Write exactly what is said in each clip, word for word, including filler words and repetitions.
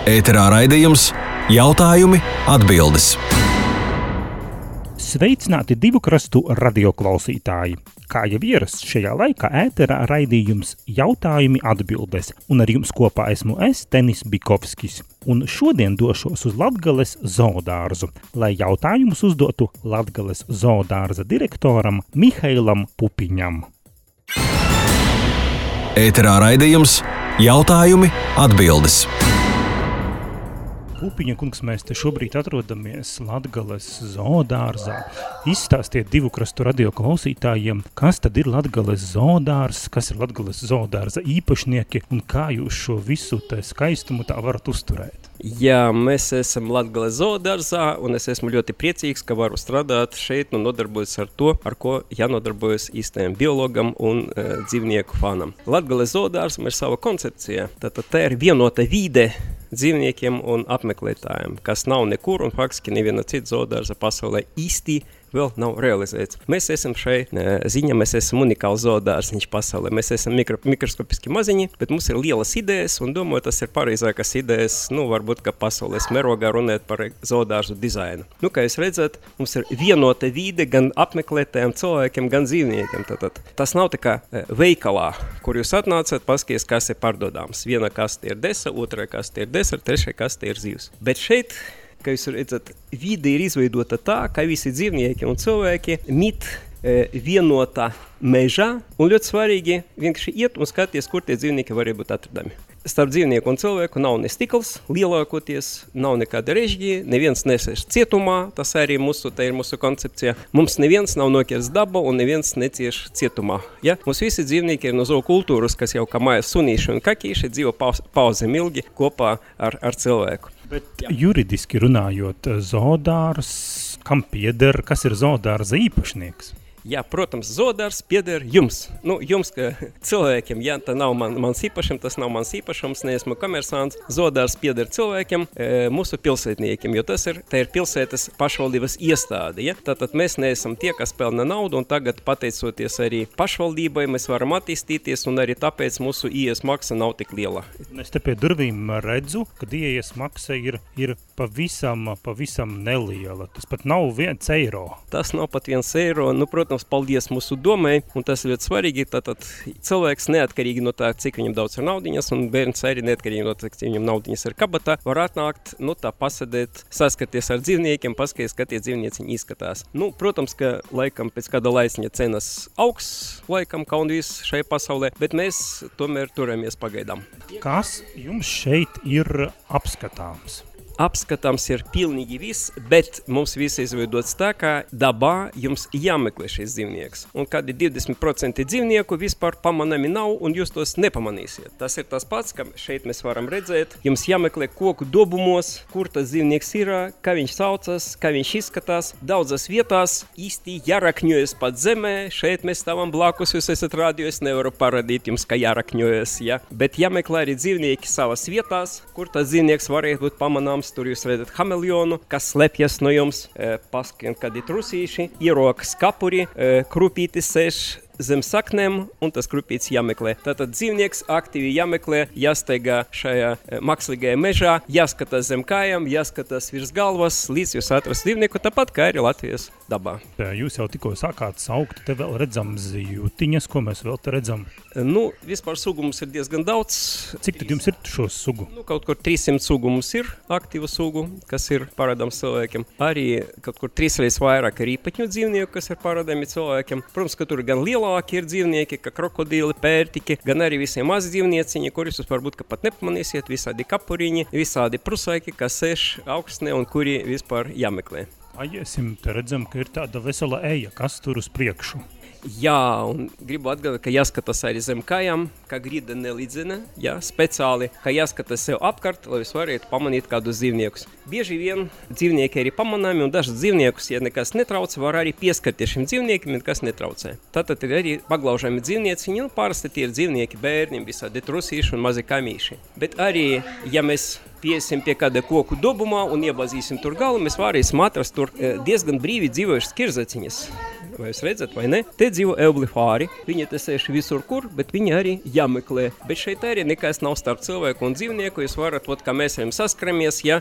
Ēterā raidījums Jautājumi, atbildes. Sveicināti divu krastu radioklausītāji. Kā jau ierasts šajā laikā ēterā raidījums Jautājumi, atbildes, un ar jums kopā esmu es, Tenis Bikovskis. Un šodien došos uz Latgales zoodārzu, lai jautājumus uzdotu Latgales zoodārza direktoram Mihailam Pupiņam. Ēterā raidījums Jautājumi, atbildes. Pupiņa kungs, mēs te šobrīd atrodamies Latgales zoodārzā. Izstāstiet divu krastu radio klausītājiem, kas tad ir Latgales zoodārs, kas ir Latgales zoodārza īpašnieki un kā jūs šo visu te skaistumu tā varat uzturēt. Jā, mēs esam Latgales zoodārzā un es esmu ļoti priecīgs, ka varu strādāt šeit un nodarbojas ar to, ar ko jānodarbojas īstajam biologam un e, dzīvnieku fanam. Latgales zoodārzam ir sava koncepcija, tātad tā ir vienota vide dzīvniekiem un apmeklētājiem, kas nav nekur un faktiski neviena cita zoodārza pasaulē īsti vēl nav realizēts. Mēs esam šai ziņā, mēs esam unikāls zoodārziņš pasaulē. Mēs esam mikro, mikroskopiski maziņi, bet mums ir lielas idejas un domāju, tas ir pareizākas idejas, nu, varbūt, ka pasaules mērogā runāt par zoodārzu dizainu. Nu, kā jūs redzat, mums ir vienota vide gan apmeklētājiem cilvēkiem, gan dzīvniekiem. Tātad tas nav tā kā veikalā, kur jūs atnācat, paskaties, kas ir pārdodāms. Viena kaste ir desa, otra kaste ir desa, trešā kaste ir zivs. Bet šeit, kā jūs redzat, vide ir izveidota tā, ka visi dzīvnieki un cilvēki mit e, vienotā mežā, un ļoti svarīgi vienkārši iet un skaties, kur tie dzīvnieki var būt atradami. Starp dzīvnieku un cilvēku nav ne stikls, lielākoties nav nekāda režģi, neviens nesēž cietumā, tas arī mūsu, tā ir mūsu koncepcija. Mums neviens nav nokirts daba un neviens necieš cietumā. Ja? Mums visi dzīvnieki ir no zookultūras, kas jau kā mājas sunīši un kakīši dzīvo pauzēm ilgi kopā ar, ar cilvēku. Bet juridiski runājot, zoodārs, kam pieder, kas ir zoodārza īpašnieks? Jā, protams, zoodārs pieder jums. Nu, jums, ka cilvēkiem, ja tā nav man, mans īpašums, tas nav mans īpašums, neesmu komersants. Zoodārs pieder cilvēkiem, e, mūsu pilsētniekiem, jo tas ir, tā ir pilsētas pašvaldības iestāde. Ja? Tātad mēs neesam tie, kas pelna naudu, un tagad pateicoties arī pašvaldībai, mēs varam attīstīties, un arī tāpēc mūsu ieejas maksa nav tik liela. Es te pie durvīm redzu, ka ieejas maksa ir, ir pavisam, pavisam neliela. Tas pat nav viens eiro. Tas nav pat viens eiro, nu, protams, paldies mūsu domai, un tas ļoti svarīgi, tātad cilvēks neatkarīgi no tā, cik viņam daudz ir naudiņas, un bērns arī neatkarīgi no tā, cik viņam naudiņas ir kabatā, var atnākt, nu tā pasadēt, saskaties ar dzīvniekiem, paskaties, kā tie dzīvnieciņi izskatās. Nu, protams, ka laikam pēc kāda laiciņa cenas augs, laikam, kā un viss šajā pasaulē, bet mēs tomēr turamies pagaidām. Kas jums šeit ir apskatāms? Apskatāms ir pilnīgi viss, bet mums viss izveidots tā, ka dabā jums jāmeklē šis dzīvnieks. Un kādi divdesmit procenti dzīvnieku vispār pamanami nav, un jūs tos nepamanīsiet. Tas ir tas pats, ka šeit mēs varam redzēt, jums jāmeklē koku dobumos, kur tas dzīvnieks ir, kā viņš saucas, kā viņš izskatās. Daudzas vietās īsti jārakņojas pat zemē, šeit mēs stāvam blakus, jūs esat radio, es nevaru parādīt jums, ka jārakņojas, ja? Bet jāmeklē arī dzīvnieki savas vietās, kur tas dzīvnieks varētu būt pamanāms. Tur jūs redzat hameleonu, kas slepjas no jums, e, paskiem kādi trusīši, ierokas kapuri, e, krupītis sēž zem saknēm, un tas krupīts jāmeklē. Tātad dzīvnieks aktīvi jāmeklē, jāsteigā šajā e, mākslīgajā mežā, jāskatās zem kājām, jāskatās virs galvas, līdz jūs atrast dzīvnieku, tāpat kā arī Latvijas dabā. Jūs jau tikko sākāt saukt, te vēl redzam zivtiņas, ko mēs vēl te redzam? Nu, vispār sugu mums ir diezgan daudz. Cik tad jums ir šo sugu? Nu, kaut kur trīssimt sugu mums ir, aktīvu sugu, kas ir parādāms cilvēkiem. Arī kaut kur trīsreiz vairāk ir īpaņu dzīvnieku, kas ir parādāmi cilvēkiem. Protams, ka tur gan lielāki ir dzīvnieki, kā krokodīli, pērtiki, gan arī visiem mazi dzīvnieciņi, kurus jūs varbūt ka pat nepamanīsiet, visādi kapuriņi, visādi prusāki, kas sēž augstnē un kuri vispār jāmeklē. Aiesim, te redzam, ka ir tāda vesela eja, kas tur uz priekšu. Jā, un gribu atgādāt, ka jāskatās arī zem kājām, ka grīda nelīdzina, jā, speciāli, ka jāskatās sev apkārt, lai jūs varētu pamanīt kādus dzīvniekus. Bieži vien dzīvnieki arī pamanāmi, un dažas dzīvniekus, ja nekas netrauc, var arī pieskarties šim dzīvniekiem, nekas netraucē. Tātad ir arī paglaužami dzīvnieci, nu, parasti tie ir dzīvnieki bērni, visādi trusīši un mazi kamīši. Bet arī, ja mēs piesim pie kāda koku dobumā un iebazīsim tur galu, mēs varēsim atrast tur diezgan brīvi dzīvojušas kirzaciņas. vai jūs redzat, vai ne? Te dzīvo eulifāri, viņi te sēž visur kur, bet viņi arī jāmeklē. Bet šeit arī nekas nav starp cilvēku un dzīvnieku, jūs varat, ot, kā mēs viņam saskaramies, ja,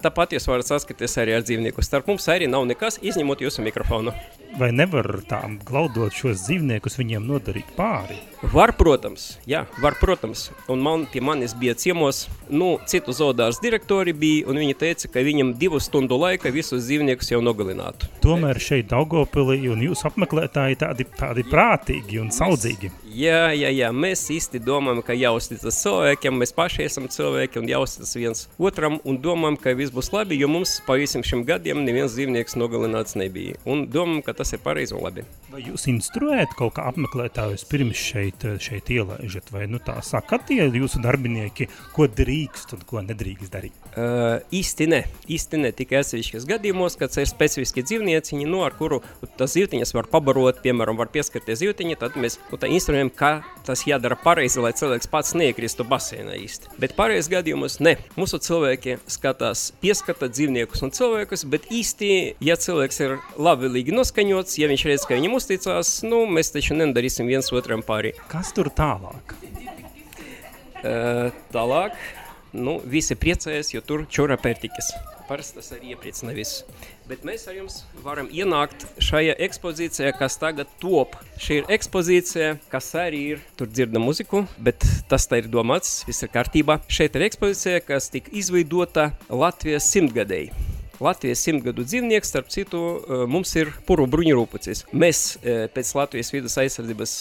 tāpat jūs varat saskaties arī ar dzīvnieku. Starp mums arī nav nekas, izņemot jūsu mikrofonu. Vai nevar tām glaudot šos dzīvniekus viņiem nodarīt pāri? Var, protams, jā, var, protams. Un man, pie manis bija ciemos, nu, citu zoodārs direktori bija, un viņi teica, ka viņam divu stundu laika visus dzīvniekus jau nogalinātu. Tomēr šeit Daugavpilī un jūs apmeklētāji tādi, tādi prātīgi un saudzīgi. Jā, jā, jā, mēs īsti domājam, ka jāuzticas cilvēkiem, mēs paši esam cilvēki un jāuzticas viens otram un domājam, ka viss būs labi, jo mums pa visiem šim gadiem neviens dzīvnieks nogalināts nebija. Un domājam, ka tas ir pareizi un labi. Vai jūs instruējat kaut kā apmeklētājus pirms šeit, šeit ielaižat, vai nu tā sakat tie jūsu darbinieki, ko drīkst un ko nedrīkst darīt? Uh, īsti ne, īsti ne, tikai atsevišķos gadījumos, kad ir specifiski dzīvnieciņi, no ar kuru tas zīvtiņas var pabarot, piemēram, var pieskarties zīvtiņi, tad mēs nu, tā instruējam, kā tas jādara pareizi, lai cilvēks pats neiekristu basēnā īsti. Bet pareizi gadījumos ne. Mūsu cilvēki skatās, pieskata dzīvniekus un cilvēkus, bet īsti, ja cilvēks ir labvēlīgi noskaņots, ja viņš redz, ka viņam uzticās, nu, mēs taču nedarīsim viens otram pārī. Kas tur tālāk? Uh, tālāk, nu, visi priecājas, jo tur čura pērtikas. Parasti tas arī iepriecina visu. Bet mēs ar jums varam ienākt šajā ekspozīcijā, kas tagad top. Šī ir ekspozīcija, kas arī ir, tur dzirda muziku, bet tas tā ir domāts, viss ir kārtībā. Šeit ir ekspozīcija, kas tika izveidota Latvijas simtgadēji. Latvijas simtgadu dzīvnieks, starp citu, mums ir puru bruņurūpucis. Mēs pēc Latvijas vidas aizsardzības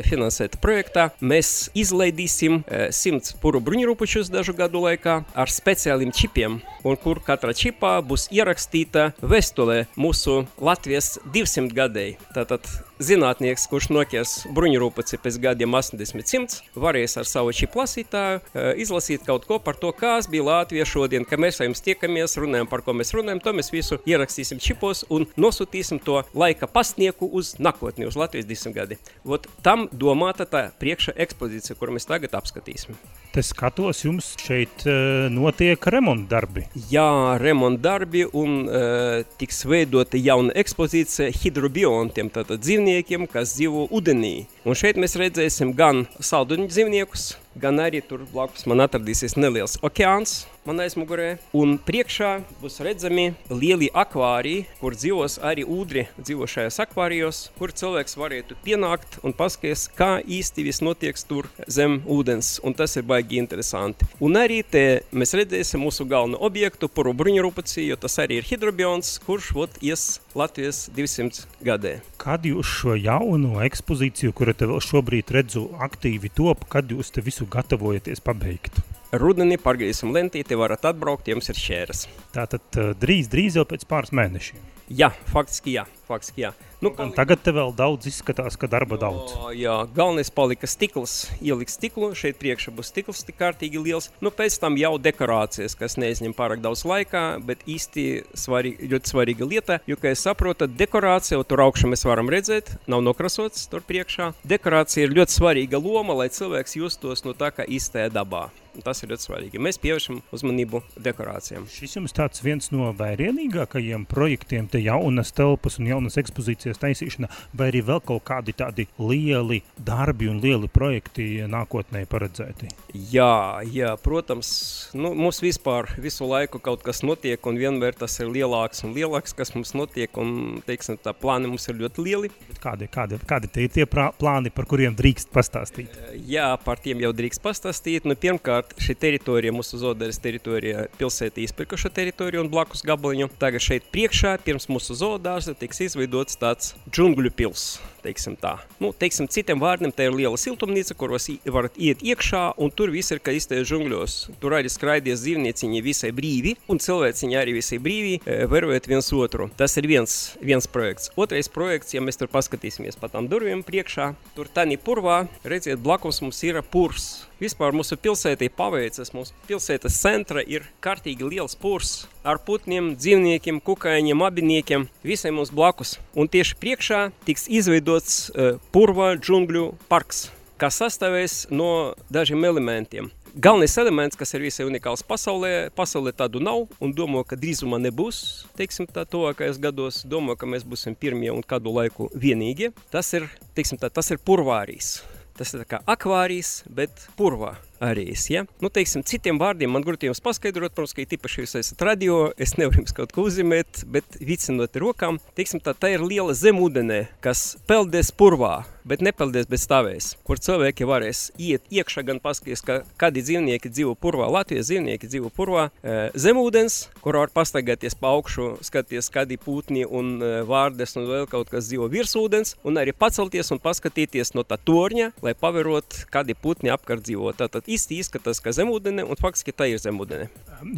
finansēta projektā, mēs izlaidīsim simts puru bruņurūpučus dažu gadu laikā ar speciāliem čipiem, un kur katra čipā būs ierakstīta vēstulē mūsu Latvijas divsimt gadēji. Tātad zinātnieks, kurš nokies bruņurūpuci pēc gadiem astoņdesmit simts, varēs ar savu čipu lasītāju izlasīt kaut ko par to, kāds bija Latvija šodien, ka mēs ar jums tiekamies, runājam, par ko mēs runājam, to mēs visu ierakstīsim čipos un nosūtīsim to laika pastnieku uz nākotni, uz Latvijas divsimt gadi. Vot tam domāta tā priekša ekspozīcija, kuru mēs tagad apskatīsim. Te skatos, jums šeit uh, notiek remontdarbi. Jā, remontdarbi un uh, tiks veidota jauna ekspozīcija hidrobiontiem, tātad dzīvniekiem, kas dzīvo ūdenī. Un šeit mēs redzēsim gan salduņu dzīvniekus, gan arī tur blakus man atradīsies neliels okeāns man aizmugurē. Un priekšā būs redzami lieli akvāriji, kur dzīvos arī ūdri dzīvo šajās akvārijos, kur cilvēks varētu pienākt un paskaties, kā īsti viss notiek tur zem ūdens. Un tas ir baigi interesanti. Un arī te mēs redzēsim mūsu galveno objektu, puru bruņurūpuci, jo tas arī ir hidrobions, kurš vot ies Latvijas divsimt gadē. Kad jūs šo jauno ekspozīciju, kuru te vēl šobrīd redzu aktīvi top, kad jūs te visu gatavojaties pabeigt? Rudenī pārgriezīsim lentīti, varat atbraukt, jums ir šķēras. Tātad drīz, drīz jau pēc pāris mēnešiem. Jā, faktiski jā, faktiski jā. Nu, un tagad te vēl daudz izskatās, ka darba daudz. O, jā, galvenais palika stikls, ielikt stiklu, šeit priekšā būs stikls tik kārtīgi liels. Nu, pēc tam jau dekorācijas, kas neizņem pārāk daudz laikā, bet īsti svarīga, ļoti svarīga lieta, jo, kā es saprotu, dekorācija, tur augšā mēs varam redzēt, nav nokrasots tur priekšā. Dekorācija ir ļoti svarīga loma, lai cilvēks justos no tā, kā īstajā dabā. Tas ir ļoti svarīgi. Mēs pievēršam uzmanību dekorācijām. Šis jums tāds viens no vairākajiem projektiem, te jaunas telpas un jaunas ekspozīcijas taisīšana, vai arī vēl kaut kādi tādi lieli darbi un lieli projekti nākotnē paredzēti? Jā, jā, protams, nu, mums vispār visu laiku kaut kas notiek un vienmēr tas ir lielāks un lielāks, kas mums notiek un, teiksim, tā plāni mums ir ļoti lieli. Bet kādi, kādi, kādi te ir tie plāni, par kuriem drīkst pastāstīt? Jā, par tiem jau drīkst pastāstīt. Nu, pirmkārt, šī teritorija, mūsu zoodāras teritorija, pilsēta izpirkuša teritorija un blakus gabaliņu. Tagad šeit priekšā, pirms mūsu zoodārza, tiks izveidots tāds džungļu pils, teiksim tā. Nu, teiksim, citiem vārdiem, tā ir liela siltumnīca, kuros varat iet iekšā, un tur viss ir, kā iztajā džungļos. Tur arī skraidies dzīvnieciņi visai brīvi, un cilvēciņi arī visai brīvi, vērojot viens otru. Tas ir viens, viens projekts. Otrais projekts, ja mēs tur paskatīsimies pa tām durvīm priekšā, tur tani purvā, redziet, blakus mums ir purs. Vispār mūsu pilsētī paveicas, mūsu pilsētas centra ir kārtīgi liels purs ar putniem, dzīvniekiem, kukaiņiem, abiniekiem, visai mums blakus. Un tieši priekšā tiks izveidots uh, purva džungļu parks, kas sastāvēs no dažiem elementiem. galvenais elements, kas ir visai unikāls pasaulē, pasaulē tādu nav, un domāju, ka drīzumā nebūs, teiksim tā, tuvākajos gados, domāju, ka mēs būsim pirmie un kādu laiku vienīgie. Tas ir, teiksim tā, tas ir purvārijas. Tas ir tā kā akvārijas, bet purvā. Arijas, ja? Nu, teiksim, citiem vārdiem man grūti jums paskaidrot, protams, ka tīpaši jūs esat radio, es nevaru jums kaut ko uzzīmēt, bet vicinot rokām, teiksim, tā, tā ir liela zemūdenē, kas peldēs purvā, bet nepeldēs, bet stāvēs, kur cilvēki varēs iet iekšā gan paskaties, ka kādi dzīvnieki dzīvo purvā, Latvijas dzīvnieki dzīvo purvā, e, zemūdens, kur var pastaigāties pa augšu, skaties, kādi pūtni un e, vārdes un vēl kaut kas dzīvo virsūdens, un arī pacelties un paskatīties no tā torņa, lai paverot, kādi pūtni apkārt dzīvo. Tātad īsti izskatās, ka zemūdene, un faktiski tā ir zemūdene.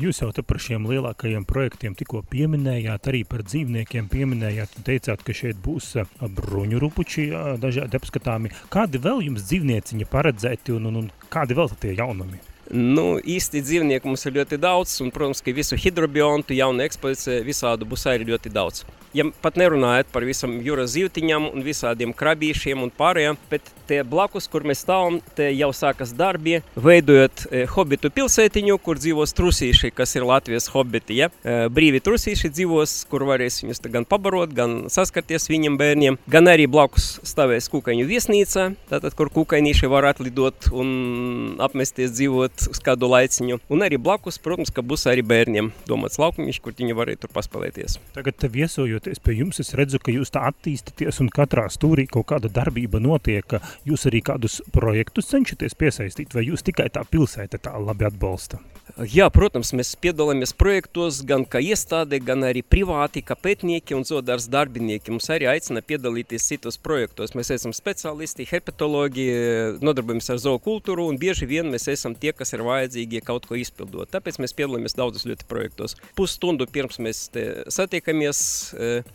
Jūs jau te par šiem lielākajiem projektiem tikko pieminējāt, arī par dzīvniekiem pieminējāt, un teicāt, ka šeit būs bruņurupuči dažādi apskatāmi. Kādi vēl jums dzīvnieciņi paredzēti, un, un, un kādi vēl tie jaunumi? Nu, īsti dzīvnieku mums ir ļoti daudz, un, protams, ka visu hidrobiontu, jaunu ekspozīciju, visādu būs arī ļoti daudz. Ja pat nerunājot par visam jūras zīvtiņam un visādiem krabīšiem un pārējām, bet te blakus, kur mēs stāvam, te jau sākas darbi, veidojot e, hobitu pilsētiņu, kur dzīvos trusīši, kas ir Latvijas hobiti, ja? E, brīvi trusīši dzīvos, kur varēs viņus gan pabarot, gan saskarties viņiem bērniem, gan arī blakus stāvēs kūkaņu viesnīca, tātad, kur kūkaņīši var atlidot un apmesties dzīvot uz kādu laiciņu. Un arī blakus, protams, ka būs arī bērniem domāts laukumiņš, kur viņi varēja tur paspēlēties. Tagad te viesojoties pie jums, es redzu, ka jūs tā attīstaties un katrā stūrī kaut kāda darbība notiek, ka jūs arī kādus projektus cenšaties piesaistīt, vai jūs tikai tā pilsēta tā labi atbalsta? Jā, protams, mēs piedalāmies projektos gan kā iestāde, gan arī privāti, kā pētnieki un zoodārs darbinieki. Mums arī aicina piedalīties citos projektos. Mēs esam speciālisti, herpetologi, nodarbojamies ar zookultūru un bieži vien mēs esam tie, kas ir vajadzīgi kaut ko izpildot. Tāpēc mēs piedalāmies daudzos ļoti projektos. Pusstundu pirms mēs te satiekamies,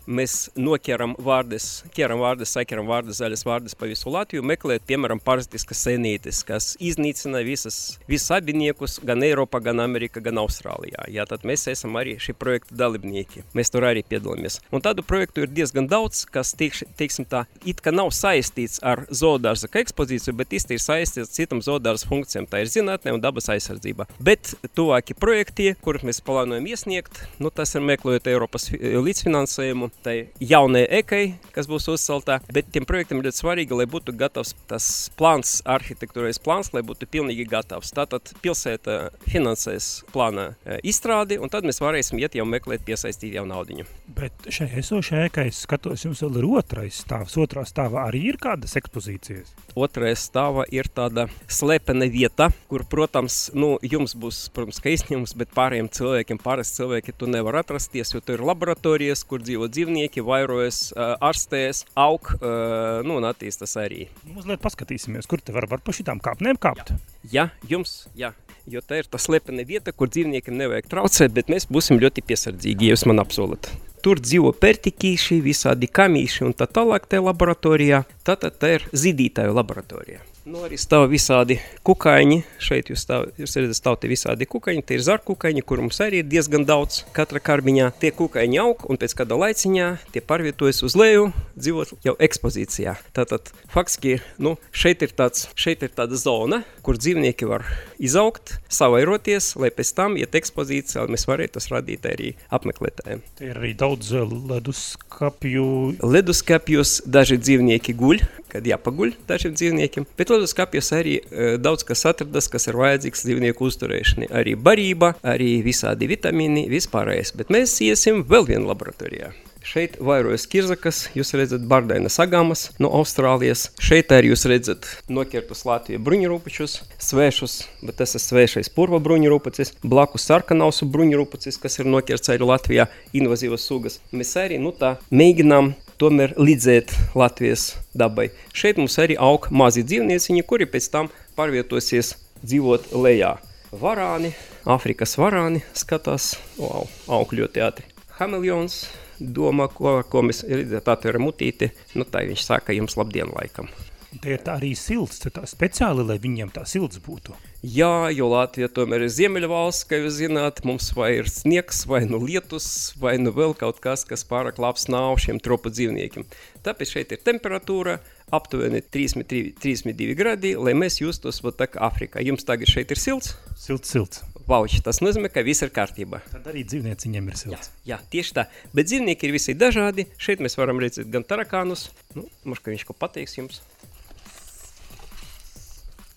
mēs noķeram vārdes, ķeram vārdes, saķeram vārdes, zaļas vārdes pa visu Latviju, meklēt, piemēram, parazitiskas senītes, kas iznīcina visas, visus abiniekus, gan Eiropā, gan Amerika, gan Austrālijā. Jā, tad mēs esam arī šī projekta dalībnieki. Mēs tur arī piedalāmies. Un tādu projektu ir diezgan daudz, kas, teikš, teiksim tā, it kā nav saistīts ar zoodārza ekspozīciju, bet īsti ir saistīts citam zoodārza funkcijām. Tā ir zinātne un dabas aizsardzība. Bet tuvāki projekti, kurus mēs plānojam iesniegt, nu tas ir meklējot Eiropas līdzfinansējumu, tai jaunai ekai, kas būs uzceltā, bet tiem projektiem ir ļoti svarīgi, lai būtu gatavs tas plāns, arhitektūrais plāns, lai būtu pilnīgi gatavs. Tātad pilsēta finansēs plāna izstrādi, un tad mēs varēsim iet jau meklēt piesaistīt jau naudiņu. Bet šai esošai ēkai, es skatos, jums vēl ir otrais stāvs. Otrā stāvā arī ir kādas ekspozīcijas? Otrais stāvā ir tāda slepena vieta, kur, protams, nu, jums būs, protams, ka izņēmums, bet pārējiem cilvēkiem, pārējiem cilvēki tu nevar atrasties, jo tu ir laboratorijas, kur dzīvo dzīvnieki, vairojas, ārstēs, aug, nu, un attīstas arī. Mazliet paskatīsimies, kur te var, var pa šitām kāpnēm kāpt? Jā, jums, jā. Jo tā ir tā slepena vieta, kur dzīvniekiem nevajag traucēt, bet mēs būsim ļoti piesardzīgi, ja jūs man apsolat. Tur dzīvo pertikīši, visādi kamīši un tā tālāk tajā laboratorijā. Tātad tā ir zīdītāju laboratorija. Nu, arī stāv visādi kukaiņi. Šeit jūs, stāv, jūs redzat, stāv te visādi kukaiņi. Tie ir zarkukaiņi, kur mums arī ir diezgan daudz katra karbiņā. Tie kukaiņi aug un pēc kāda laiciņā tie pārvietojas uz leju, dzīvot jau ekspozīcijā. Tātad, faktiski, nu, šeit ir tāds, šeit ir tāda zona, kur dzīvnieki var izaugt, savairoties, lai pēc tam iet ekspozīcijā, lai mēs varētu tas radīt arī apmeklētājiem. Te ir arī daudz leduskapju. Leduskapjos daži dzīvnieki guļ, kad jāpaguļ dažiem dzīvniekiem, bet leduskapjos arī e, daudz kas atradas, kas ir vajadzīgs dzīvnieku uzturēšanai. Arī barība, arī visādi vitamīni, vispārējais, bet mēs iesim vēl vienu laboratorijā. Šeit vairojas kirzakas, jūs redzat bardainas agamas no Austrālijas. Šeit arī jūs redzat nokirtus Latviju bruņurupučus, svešus, bet tas ir svešais purva bruņurupucis, blakus sarkanausu bruņurupucis, kas ir nokirts arī Latvijā, invazīvas sugas. Mēs arī, nu tā, mēģinām tomēr līdzēt Latvijas dabai. Šeit mums arī aug mazi dzīvnieciņi, kuri pēc tam pārvietosies dzīvot lejā. Varāni, Āfrikas varāni skatās, wow, aug ļoti ātri. Hameleons domā, ko, ko mēs redzēt atveram mutīti, nu tā viņš saka jums labdien laikam. Te ir tā arī silts, tā speciāli, lai viņiem tā silts būtu. Jā, jo Latvija tomēr ir ziemeļvalsts, kā jūs zināt, mums vai ir sniegs, vai nu lietus, vai nu vēl kaut kas, kas pārāk labs nav šiem tropu dzīvniekiem. Tāpēc šeit ir temperatūra aptuveni trīsdesmit divi gradi, lai mēs justos vat tā kā Afrikā. Jums tagad šeit ir silts? Silts, silts. Vauči, tas nozīmē, ka viss ir kārtībā. Tad arī dzīvnieciņiem ir silts. Jā, jā, tieši tā. Bet dzīvnieki ir visi dažādi. Šeit mēs varam redzēt gan tarakānus. Nu, možda, ka viņš ko pateiks jums.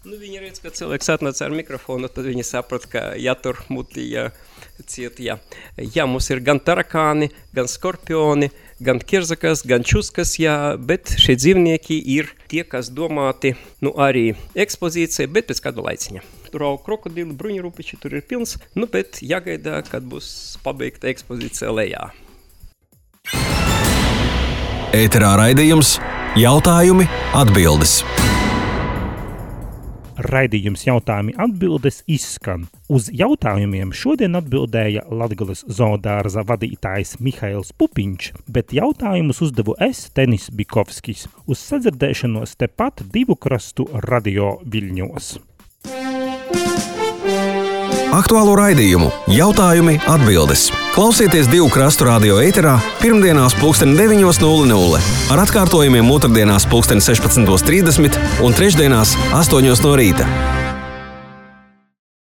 Nu, viņi redz, ka cilvēks atnāca ar mikrofonu, tad viņi saprat, ka jātur muti, jā, ciet, jā. Jā, mums ir gan tarakāni, gan skorpioni, gan kirzakas, gan čuskas, jā, bet šie dzīvnieki ir tie, kas domāti, nu, arī ekspozīcija, bet pēc kāda laiciņa. Tur aug krokodili, bruņurupiči, tur ir pilns, nu, bet jāgaidā, kad būs pabeigta ekspozīcija lejā. Ēterā raidījums Jautājumi, atbildes. Raidījums jautājumi atbildes izskan. Uz jautājumiem šodien atbildēja Latgales zoodārza vadītājs Mihails Pupiņš, bet jautājumus uzdevu es, Tenis Bikovskis. Uz sadzirdēšanos tepat Divu krastu radio Viļņos. Aktuālo raidījumu Jautājumi, atbildes. Klausieties Divu krastu radio ēterā pirmdienās pulksten deviņos nulle nulle, ar atkārtojumiem otrdienās pulksten sešpadsmitos trīsdesmit un trešdienās astoņos no rīta.